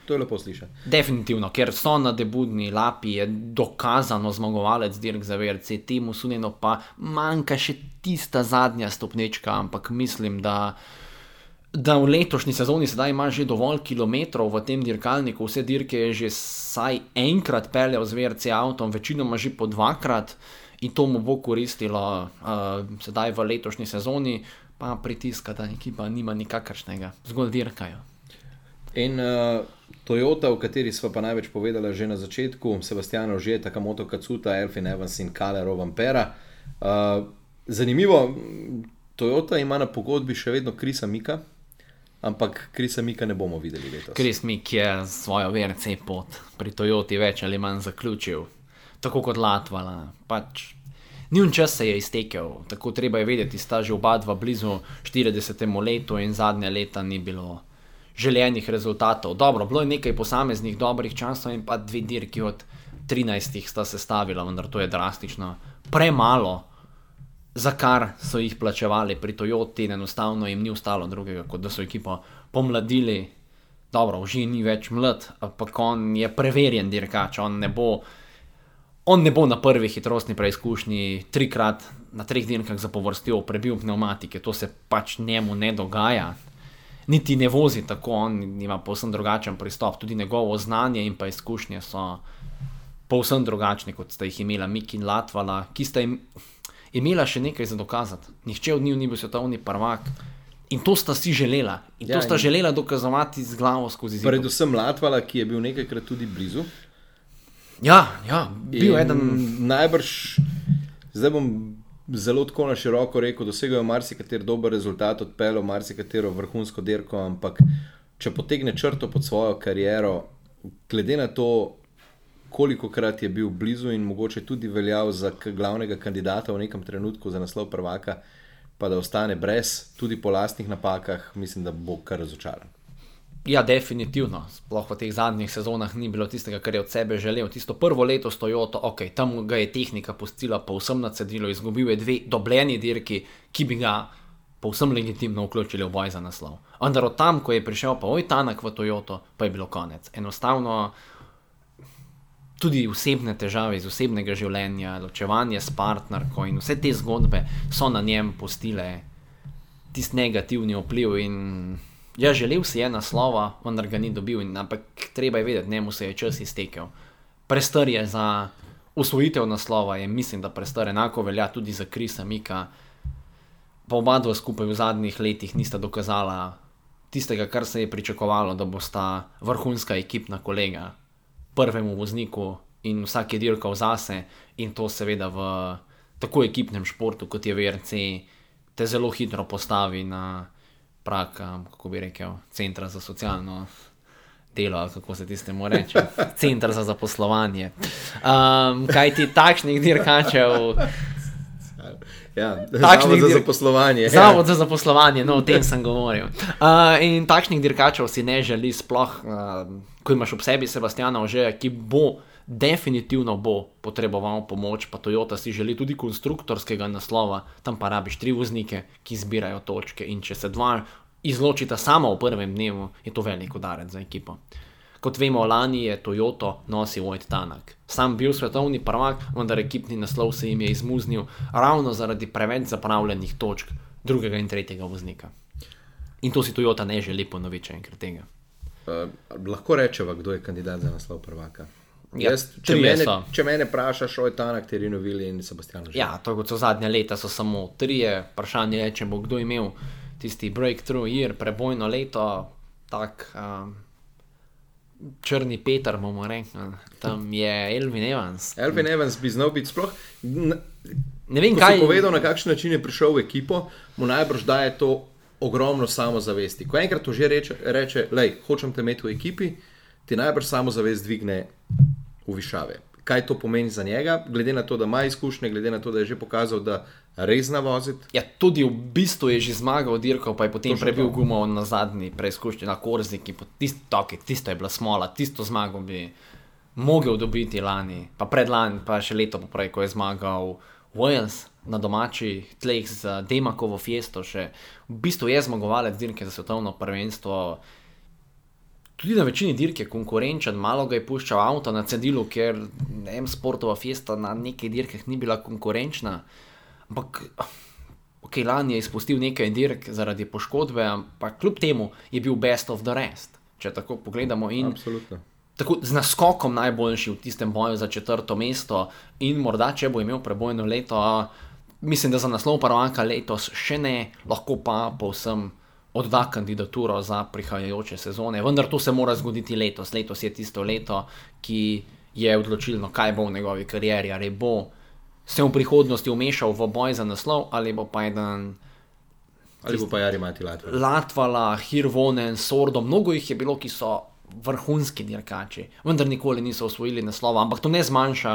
To je lepo slišati. Definitivno, ker so nadebudni, Lapi je dokazano zmagovalec dirk za VRC, temu Suninu pa manjka še tista zadnja stopnička, ampak mislim, da v letošnji sezoni sedaj ima že dovolj kilometrov v tem dirkalniku, vse dirke je že saj enkrat peljal z VRC avtom, večinoma že po dvakrat in to mu bo koristilo sedaj v letošnji sezoni, pa pritiska, da ekipa nima nikakršnega, zgolj dirkajo. In Toyota, o kateri sva pa največ povedala že na začetku, Sebastian Ogier, Takamoto Katsuta, Elfin Evans in Kalle Rovanpera. Zanimivo, Toyota ima na pogodbi še vedno Chrisa Mika, ampak Chrisa Mika ne bomo videli letos. Chris Mik je svojo VRC pot pri Toyoti več ali manj zaključil, tako kot Latvala. Pač njun čas se je iztekel, tako treba je vedeti, sta že oba dva blizu 40. letu in zadnja leta ni bilo želenih rezultatov. Dobro, bilo je nekaj posameznih dobrih časov in pa 2 dirki od 13 sta se stavila, vendar to je drastično premalo, za kar so jih plačevali pri Toyoti, enostavno jim ni ostalo drugega, kot da so ekipo pomladili. Dobro, Ogier ni več mlad, ampak on je preverjen dirkač, on ne bo na prvi hitrostni preizkušnji 3-krat na 3 dirkah zapovrstjo prebil pneumatike, to se pač njemu ne dogaja. Niti ne vozi tako, on ima povsem drugačen pristop, tudi njegovo znanje in pa izkušnje so povsem drugačni, kot sta jih imela Mik in Latvala, ki sta imela še nekaj za dokazati. Nihče od njih ni bil svetovni prvak in to sta si želela. In to sta želela dokazovati z glavo skozi zid. Predvsem Latvala, ki je bil nekajkrat tudi blizu. Ja, bil eden... Najbrž, zdaj bom zelo tako na široko rekel, dosegajo marsikater dober rezultat, odpeljal marsikatero vrhunsko dirko, ampak če potegne črto pod svojo kariero, glede na to, kolikokrat je bil blizu in mogoče tudi veljal za glavnega kandidata v nekem trenutku za naslov prvaka, pa da ostane brez, tudi po lastnih napakah, mislim, da bo kar razočaran. Ja, definitivno. Sploh v teh zadnjih sezonah ni bilo tistega, kar je od sebe želel. Tisto prvo leto s Toyoto, tam ga je tehnika pustila povsem na cedilu, izgubil je 2 dobljeni dirki, ki bi ga povsem legitimno vključili v boj za naslov. Vendar od tam, ko je prišel pa Tanak v Toyoto, pa je bilo konec. Enostavno tudi osebne težave iz osebnega življenja, ločevanje s partnerko in vse te zgodbe so na njem pustile tisti negativni vpliv in ja, želel si je naslova, vendar ga ni dobil, ampak treba je vedeti, njemu se je čas iztekel. Prestar je za osvojitev naslova, mislim, da prestar enako velja tudi za Chrisa Mika. Pa oba dva skupaj v zadnjih letih nista dokazala tistega, kar se je pričakovalo, da bosta vrhunska ekipna kolega prvemu vozniku in vsak je dirkal zase in to seveda v tako ekipnem športu, kot je VRC, te zelo hitro postavi na prak, kako bi rekel, centra za socialno delo, kako se tistemu reče, centra za zaposlovanje. Kaj ti takšnih dirkačev... Zavod za zaposlovanje. Zavod za zaposlovanje, no, o tem sem govoril. In takšnih dirkačev si ne želi sploh, ko imaš ob sebi Sebastiana Ogierja, ki definitivno bo potreboval pomoč, pa Toyota si želi tudi konstruktorskega naslova, tam pa rabiš 3 voznike, ki zbirajo točke in če se 2 izločita samo v prvem dnevu, je to velik udarec za ekipo. Kot vemo, lani je Toyoto nosil Tanak. Sam bil svetovni prvak, vendar ekipni naslov se jim je izmuznil ravno zaradi preveč zapravljenih točk 2. in 3. voznika. In to si Toyota ne želi ponoviti enkrat tega. Lahko rečeva, kdo je kandidat za naslov prvaka? Ja, če mene vprašaš, Tanak, Terino Vili in Sebastian Ogier. Ja, to kot so zadnje leta, so samo 3. Vprašanje je, če bo kdo imel tisti breakthrough year, prebojno leto, tak črni Peter, bomo rekli. Tam je Elfin Evans. Elfin Evans bi znal biti sploh... Ne vem, kaj... Ko si povedal, na kakšen način je prišel v ekipo, mu najbrž daje to ogromno samozavesti. Ko enkrat to že reče, lej, hočem te imeti v ekipi, ti najbrž samozavest dvigne v višave. Kaj to pomeni za njega, glede na to, da ima izkušnje, glede na to, da je že pokazal, da res zna voziti? Ja, tudi v bistvu je že zmagal dirko, pa je potem prebil gumo na zadnji preizkušnji na Korziki. Tisto je bila smola, tisto zmago bi mogel dobiti lani, pa predlani, pa še leto poprej, ko je zmagal Wales na domačih tleh z Demakovo Fiesto. Še v bistvu je zmagovalec dirke za svetovno prvenstvo. Tudi na večini dirk je konkurenčen, malo ga je puščal avto na cedilu, ker M-Sportova Fiesta na nekaj dirkah ni bila konkurenčna. Ampak, lani je izpustil nekaj dirk zaradi poškodbe, ampak kljub temu je bil best of the rest, če tako pogledamo. In absolutno. Tako z naskokom najboljši v tistem boju za 4. mesto in morda, če bo imel prebojno leto, mislim, da za naslov prvaka letos še ne, lahko pa povsem odda kandidaturo za prihajajoče sezone, vendar to se mora zgoditi letos. Letos je tisto leto, ki je odločilno, kaj bo v njegovi karieri, ali bo se v prihodnosti umešal v boj za naslov, ali bo pa eden... Ali bo pa Jari Mati Latvala. Latvala, Hirvonen, Sordo, mnogo jih je bilo, ki so vrhunski dirkači, vendar nikoli niso osvojili naslova, ampak to ne zmanjša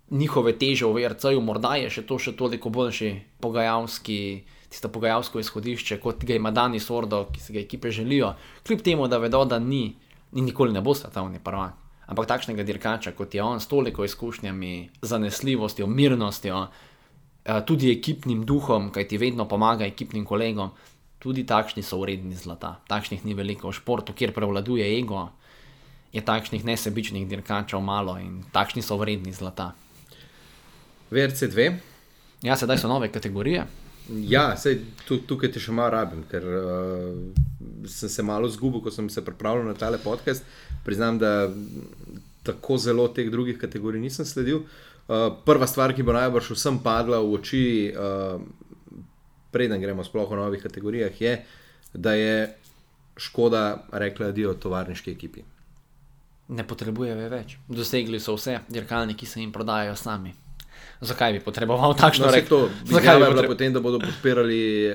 njihove teže v VRC-ju, morda je še toliko boljši tisto pogajalsko izhodišče, kot ga ima Dani Sordo, ki se ga ekipe želijo, kljub temu, da vedo, da nikoli ne bo svetovni prvak. Ampak takšnega dirkača, kot je on, s toliko izkušnjami, zanesljivostjo, mirnostjo, tudi ekipnim duhom, kaj ti vedno pomaga ekipnim kolegom, tudi takšni so vredni zlata. Takšnih ni veliko v športu, kjer prevladuje ego, je takšnih nesebičnih dirkačev malo in takšni so vredni zlata. VRC2? Ja, sedaj so nove kategorije. Ja, tukaj te še malo rabim, ker sem se malo zgubil, ko sem se pripravljal na tale podcast. Priznam, da tako zelo teh drugih kategorij nisem sledil. Prva stvar, ki bo najbrž vsem padla v oči, preden gremo sploh o novih kategorijah, je, da je Škoda rekla adijo tovarniški ekipi. Ne potrebuje več. Dosegli so vse, dirkalniki se jim prodajajo sami. Zakaj bi potreboval takšno reklo? Zakaj bi bila potem, da bodo podpirali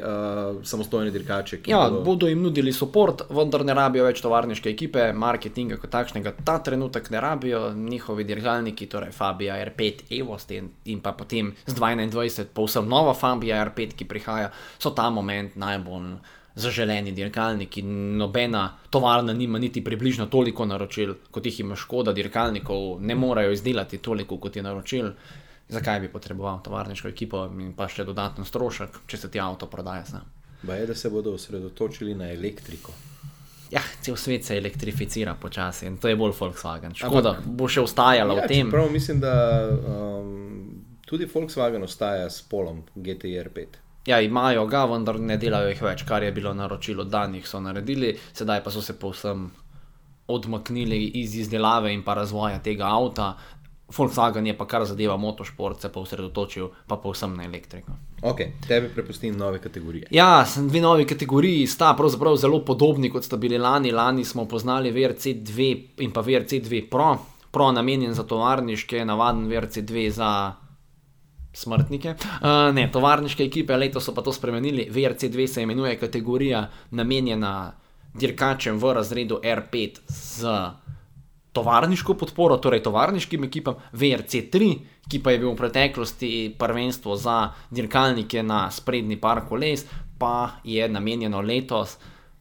samostojne dirkače? Bodo jim nudili support, vendar ne rabijo več tovarniške ekipe, marketinga kot takšnega ta trenutek ne rabijo, njihovi dirkalniki, torej Fabia R5 Evost in pa potem z 2021 povsem nova Fabia R5, ki prihaja, so ta moment najbolj zaželeni dirkalniki. Nobena tovarna nima niti približno toliko naročil, kot jih ima Škoda, dirkalnikov ne morejo izdelati toliko, kot je naročil. Zakaj bi potreboval tovarniško ekipo in pa še dodatno strošek, če se ti avto prodaja sam? Je, da se bodo osredotočili na elektriko. Ja, cel svet se elektrificira počasi in to je bolj Volkswagen. Škoda bo še ostajala v tem. Prav mislim, da tudi Volkswagen ostaja s polom GTI R5. Ja, imajo ga, vendar ne delajo jih več, kar je bilo naročilo danih so naredili, sedaj pa so se povsem odmaknili iz izdelave in pa razvoja tega avta. Volkswagen je pa kar zadeva motošport, se pa osredotočil pa povsem na elektriko. Ok, tebi prepustim nove kategorije. Ja, dve novi kategoriji sta pravzaprav zelo podobni, kot sta bili lani. Lani smo poznali VRC2 in pa VRC2 Pro. Pro namenjen za tovarniške, navaden VRC2 za smrtnike. Tovarniške ekipe, letos so pa to spremenili. VRC2 se imenuje kategorija namenjena dirkačem v razredu R5 z tovarniško podporo, torej tovarniškim ekipam. VRC3, ki pa je bil v preteklosti prvenstvo za dirkalnike na sprednji par koles, pa je namenjeno letos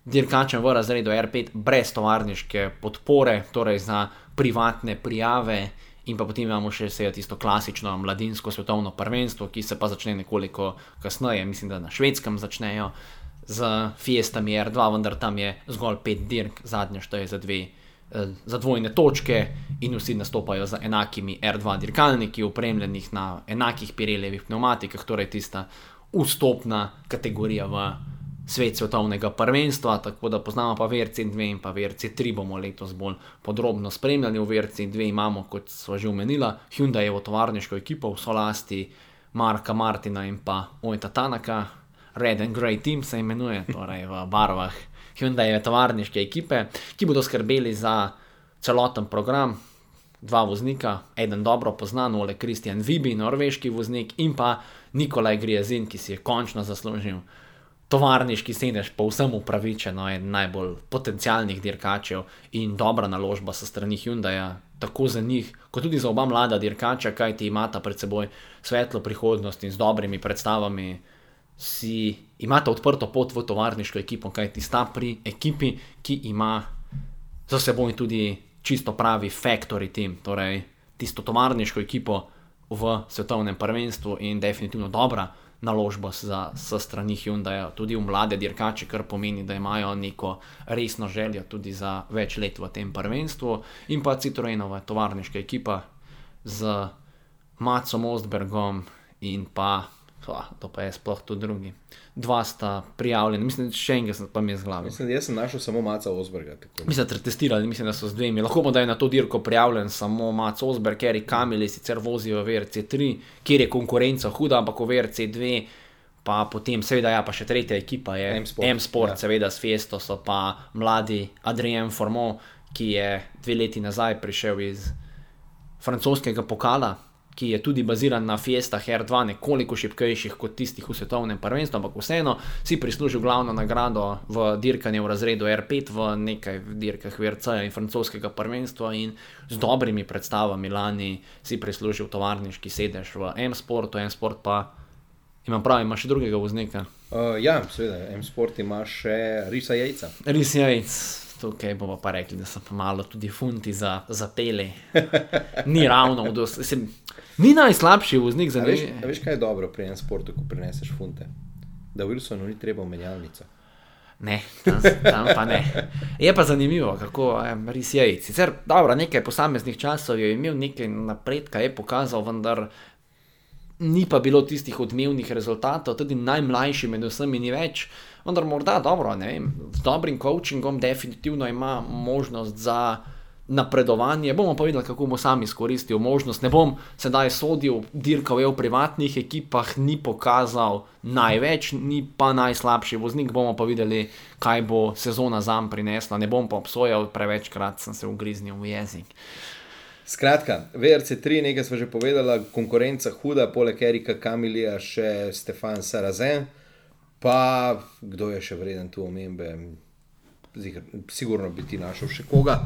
dirkačem v razredu R5 brez tovarniške podpore, torej za privatne prijave. In pa potem imamo še tisto klasično mladinsko svetovno prvenstvo, ki se pa začne nekoliko kasneje, mislim, da na Švedskem začnejo z Fiestami R2, vendar tam je zgolj 5 dirk, zadnja šteje za dvojne točke in vsi nastopajo z enakimi R2 dirkalniki, opremljenih na enakih Pirellijevih pneumatikah, torej tista vstopna kategorija v svet svetovnega prvenstva, tako da poznamo pa VRC2 in pa VRC3 bomo letos bolj podrobno spremljali. V VRC2 imamo, kot sva že omenila, Hyundaievo tovarniško ekipo v solasti Marka Martina in pa Ojta Tanaka, Red and Grey Team se imenuje, torej v barvah Hyundaieve tovarniške ekipe, ki bodo skrbeli za celoten program. 2 voznika, eden dobro poznan, Ole Christian Vibi, norveški voznik, in pa Nikolaj Griezin, ki si je končno zaslužil tovarniški sedež, povsem upravičeno, eden najbolj potencialnih dirkačev in dobra naložba sa strani Hyundaia. tako za njih, kot tudi za oba mlada dirkača, kaj ti imata pred seboj svetlo prihodnost in z dobrimi predstavami imata odprto pot v tovarniško ekipo, kaj ti sta pri ekipi, ki ima za seboj tudi čisto pravi factory team, torej tisto tovarniško ekipo v svetovnem prvenstvu in definitivno dobra naložba s strani Hyundaija, tudi v mlade dirkače, kar pomeni, da imajo neko resno željo tudi za več let v tem prvenstvu, in pa Citroenova tovarniška ekipa z Matsom Ostbergom in pa to pa je sploh tudi drugi. Dva sta prijavljeni, mislim, še enega pa mi je z glavi. Mislim, da jaz sem našel samo Matsa Osberga. Mislim, da testirali, mislim, da so z dvemi. Lahko da je na to dirko prijavljen samo Mats Osberg, Eric Kamili sicer vozijo v VRC3, kjer je konkurenca huda, ampak v VRC2 pa potem, seveda pa še tretja ekipa je M-Sport, seveda s Fiesto so pa mladi Adrien Fourmont, ki je 2 leti nazaj prišel iz francoskega pokala, ki je tudi baziran na Fiestah R2, nekoliko šibkejših kot tistih v svetovnem prvenstvu, ampak vseeno si prislužil glavno nagrado v dirkanju v razredu R5 v nekaj dirkah VRC-ja in francoskega prvenstva in z dobrimi predstavami lani si prislužil tovarniški sedež v M-Sportu. M-Sport pa, imam prav, ima še drugega voznika? Ja, seveda, M-Sport ima še Risa Jejca. Ris Jejc. Tukaj bomo pa rekli, da so pa malo tudi funti za pele. Ni ravno, ni najslabši voznik za nekaj. Veš, kaj je dobro pri M-Sportu, ko prineseš funte? Da Wilsonu ni treba v menjalnico. Ne, tam pa ne. Je pa zanimivo, kako Ris Jejc. Sicer, dobro, nekaj posameznih časov je imel, nekaj napredka je pokazal, vendar ni pa bilo tistih odmevnih rezultatov, tudi najmlajši med vsemi ni več. Vendar morda dobro, ne vem, z dobrim coachingom definitivno ima možnost za napredovanje. Bomo pa videli, kako bo sam izkoristil možnost. Ne bom sedaj sodil, dirkal je v privatnih ekipah, ni pokazal največ, ni pa najslabši voznik. Bomo pa videli, kaj bo sezona zanj prinesla. Ne bom pa obsojal, prevečkrat sem se ugriznil v jezik. Skratka, VRC3, nekaj smo že povedala, konkurenca huda, poleg Erika Kamilija še Stefan Sarrazin. Pa kdo je še vreden tu omembe? Sigurno bi ti našel še koga.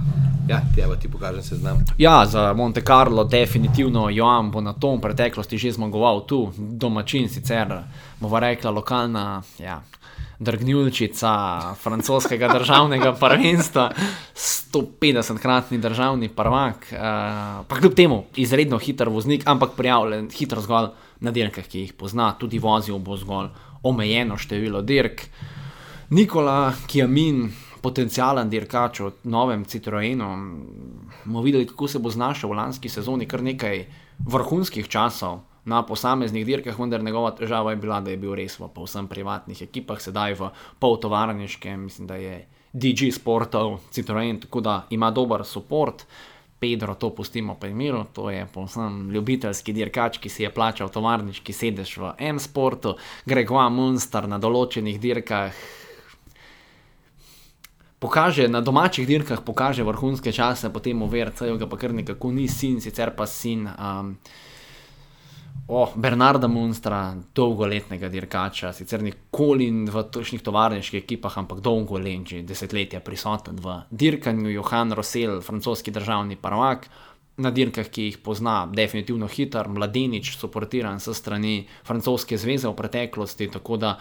Ja, ti pokažem seznam. Ja, za Monte Carlo definitivno Joan Bonneton v preteklosti že zmagoval tu, domačin sicer, bova rekla lokalna, drgnjulčica francoskega državnega prvenstva, 150-kratni državni prvak, pa kljub temu izredno hiter voznik, ampak prijavljen hitro zgolj na dirkah, ki jih pozna, tudi vozil bo zgolj omejeno število dirk. Nikola Chiamin, potencialen dirkač v novem Citroenu, bomo videli, kako se bo znašel v lanski sezoni, kar nekaj vrhunskih časov na posameznih dirkah, vendar njegova težava je bila, da je bil res v povsem privatnih ekipah, sedaj v poltovarniškem, mislim, da je DG Sportov Citroen, tako da ima dober support. Pedro, to pustimo pri miru, to je povsem ljubiteljski dirkač, ki si je plačal tovarniški sedež v M-Sportu. Gregoire Munster na določenih dirkah na domačih dirkah pokaže vrhunske čase, potem v VRC-ju ga pa kar nekako ni sin, sicer pa sin Bernarda Munstera, dolgoletnega dirkača, sicer nikoli v točnih tovarniških ekipah, ampak dolgo let, že desetletja prisoten v dirkanju. Johan Rossel, francoski državni prvak, na dirkah, ki jih pozna, definitivno hiter, mladenič, suportiran s strani francoske zveze v preteklosti, tako da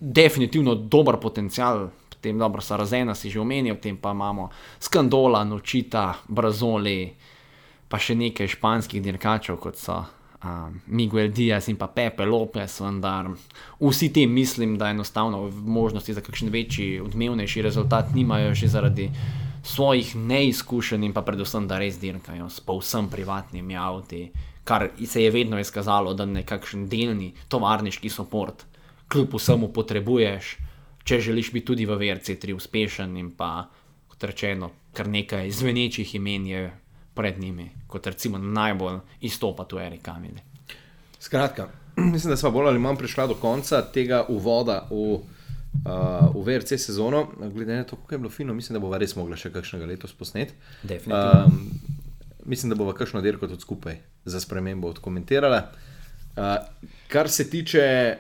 definitivno dober potencial. Potem dobro, Sarrazena si že omenil, potem pa imamo Scandola, Nočita, Brazoli, pa še nekaj španskih dirkačev, kot so Miguel Diaz in pa Pepe Lopez, vendar vsi ti mislim, da enostavno možnosti za kakšen večji, odmevnejši rezultat nimajo že zaradi svojih neizkušenj in pa predvsem, da res dirkajo s povsem privatnimi avti, kar se je vedno izkazalo, da nekakšen delni tovarniški support kljub vsemu potrebuješ, če želiš biti tudi v VRC3 uspešen, in pa, kot rečeno, kar nekaj zvenečih imen je pred njimi, kot recimo najbolj izstopa tu Eric Kamili. Skratka, mislim, da sva bolj ali manj prišla do konca tega uvoda v VRC sezono. Glede na to, kako je bilo fino, mislim, da bova res mogla še kakšnega letos posneti. Definitivno. Mislim, da bova kakšno dirko tudi skupaj za spremembo odkomentirala. Kar se tiče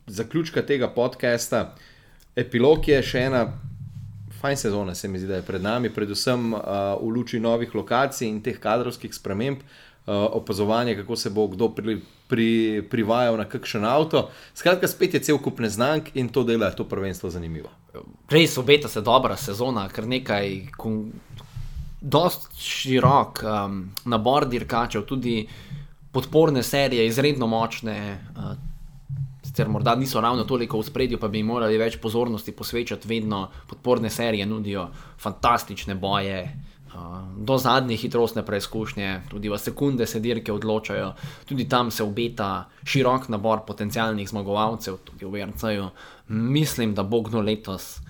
zaključka tega podcasta, epilog je še ena fajn sezona se mi zdi, da je pred nami, predvsem v luči novih lokacij in teh kadrovskih sprememb, opazovanje, kako se bo kdo privajal na kakšen avto. Skratka, spet je cel kup neznank in to dela to prvenstvo zanimivo. Res obeta se dobra sezona, kar nekaj dost širok nabor dirkačev, tudi podporne serije, izredno močne, sicer morda niso ravno toliko v spredju, pa bi morali več pozornosti posvečati, vedno podporne serije nudijo fantastične boje, do zadnje hitrostne preizkušnje, tudi v sekunde se dirke odločajo, tudi tam se obeta širok nabor potencialnih zmagovalcev, tudi v VRC-ju. Mislim, da bo kdo letos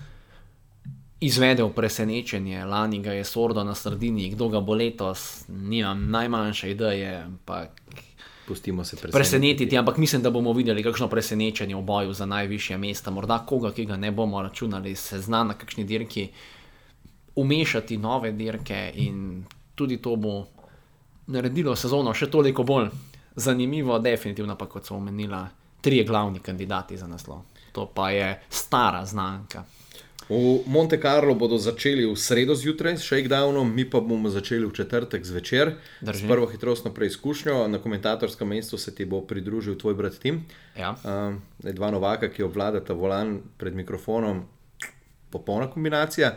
izvedel presenečenje, lani ga je Sordo na sredini, kdo ga bo letos, nimam najmanjše ideje, ampak pustimo se presenetiti, ampak mislim, da bomo videli kakšno presenečenje v boju za najvišje mesta, morda koga, ki ga ne bomo računali, se zna na kakšni dirki umešati nove dirke in tudi to bo naredilo sezono še toliko bolj zanimivo, definitivno pa, kot so omenila, 3 glavni kandidati za naslov. To pa je stara znanka. V Monte Carlo bodo začeli v sredo zjutraj s shakedownom, mi pa bomo začeli v četrtek zvečer s prvo hitrostno preizkušnjo. Na komentatorskem mestu se ti bo pridružil tvoj brat Tim. Ja. Dva novaka, ki obvladata volan pred mikrofonom, popolna kombinacija.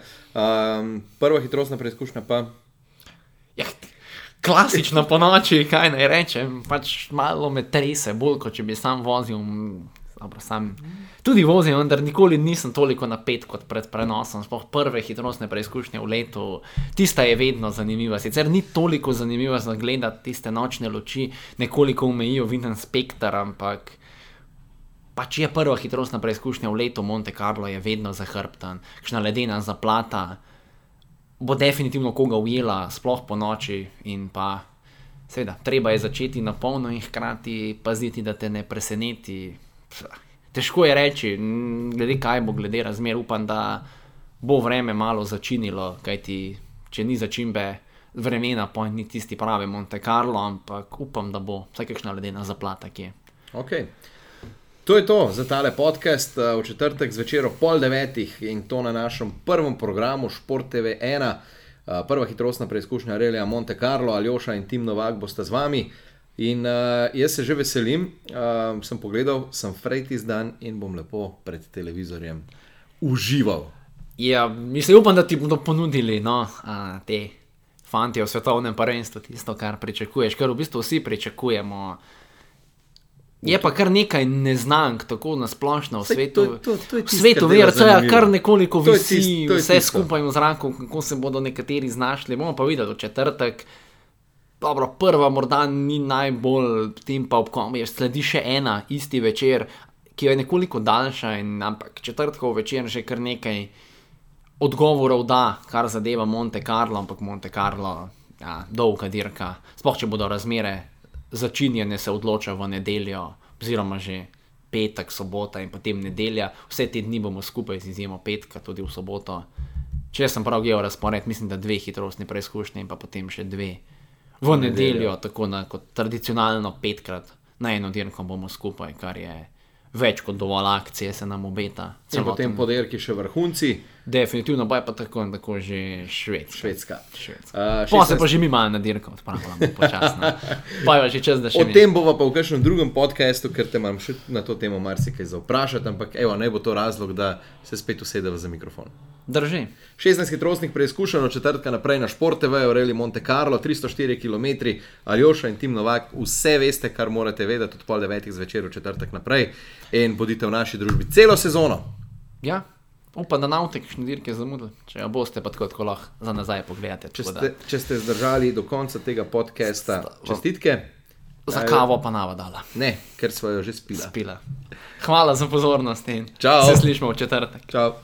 Prva hitrostna preizkušnja pa? Ja, klasično po noči, kaj naj rečem, pač malo me trese, bolj kot če bi sam vozil. Dobro, sam tudi vozim, vendar nikoli nisem toliko napet kot pred prenosom, sploh prve hitrostne preizkušnje v letu, tista je vedno zanimiva, sicer ni toliko zanimiva za gledati, tiste nočne luči nekoliko omejijo viden spektar, ampak pač je prva hitrostna preizkušnja v letu, Monte Carlo je vedno zahrbtan, kakšna ledena zaplata bo definitivno koga ujela, sploh po noči in pa seveda, treba je začeti na polno in hkrati paziti, da te ne preseneti. Težko je reči, glede kaj bo, glede razmer, upam, da bo vreme malo začinilo, kajti če ni začimbe vremena, pa ni tisti pravi Monte Carlo, ampak upam, da bo vsaj kakšna ledena zaplata kje. Ok, to je to za tale podcast v četrtek zvečer ob 8:30 in to na našem prvem programu Šport TV 1. Prva hitrostna preizkušnja relija Monte Carlo, Aljoša in Tim Novak bosta z vami. In jaz se že veselim, sem pogledal, sem frejtis dan in bom lepo pred televizorjem užival. Ja, mislim, upam, da ti bodo ponudili, te fantje v svetovnem prvenstvu, tisto, kar pričakuješ, kar v bistvu vsi pričakujemo. Je pa kar nekaj neznank, tako na splošno v svetu. V svetu VRC-ja kar nekoliko visi vse skupaj v zraku, kako se bodo nekateri znašli. Bomo pa videli v četrtek. Dobro, prva morda ni najbolj, potem pa sledi še ena isti večer, ki je nekoliko daljša, ampak četrtkov večer že kar nekaj odgovorov da, kar zadeva Monte Carlo, ampak Monte Carlo, ja, dolga dirka. Sploh, če bodo razmere začinjene, se odloča v nedeljo, oziroma že petek, sobota in potem nedelja. Vse te dni bomo skupaj z izjemo petka, tudi v soboto. Če sem prav gledal razpored, mislim, da 2 hitrostne preizkušnje in pa potem še 2 v nedeljo, tako kot tradicionalno 5krat na eno dirko bomo skupaj, kar je več kot dovolj akcije, se nam obeta. In potem po dirki še vrhunci. Definitivno, pa je pa tako že Švedska. Pa se pa že mi malo na dirko odpravljamo počasno. Pa je že čas, da še o tem bova pa v kakšnem drugem podcastu, ker te imam še na to temo marsikaj za vprašati, ampak evo, naj bo to razlog, da se spet usedeva za mikrofon. Drži. 16 hitrostnih preizkušenj od četrtka naprej na Šport TV, Rally Monte Carlo, 304 km, Aljoša in Tim Novak, vse veste, kar morate vedeti od 8:30 zvečer v četrtek naprej in bodite v naši družbi celo sezono. Ja, upam, da na kakšne dirke zamudili, če boste pa tako lahko za nazaj pogledate. Če ste zdržali do konca tega podcasta, čestitke. Za kavo pa nava dala. Ne, ker sva jo že spila. Hvala za pozornost in Čau. se slišimo v četrtek. Čau.